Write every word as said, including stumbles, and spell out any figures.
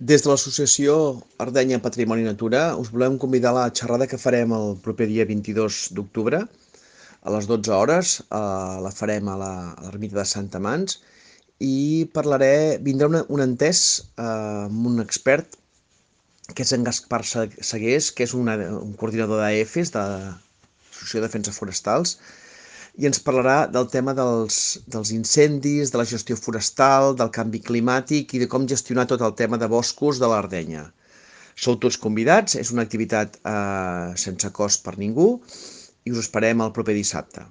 Des de l'associació Ardenya Patrimoni Natura us volem convidar a la xerrada que farem el proper dia vint-i-dos d'octubre a les dotze hores. Eh, la farem a la, a l'ermita de Santa Mans i parlaré, vindrà una, un entès eh, amb un expert que és en Gaspar Segués, que és una, un coordinador d'A E F E S, de l'Associació de Defensa Forestals, i ens parlarà del tema dels, dels incendis, de la gestió forestal, del canvi climàtic i de com gestionar tot el tema de boscos de l'Ardenya. Sou tots convidats, és una activitat eh, sense cost per ningú i us esperem el proper dissabte.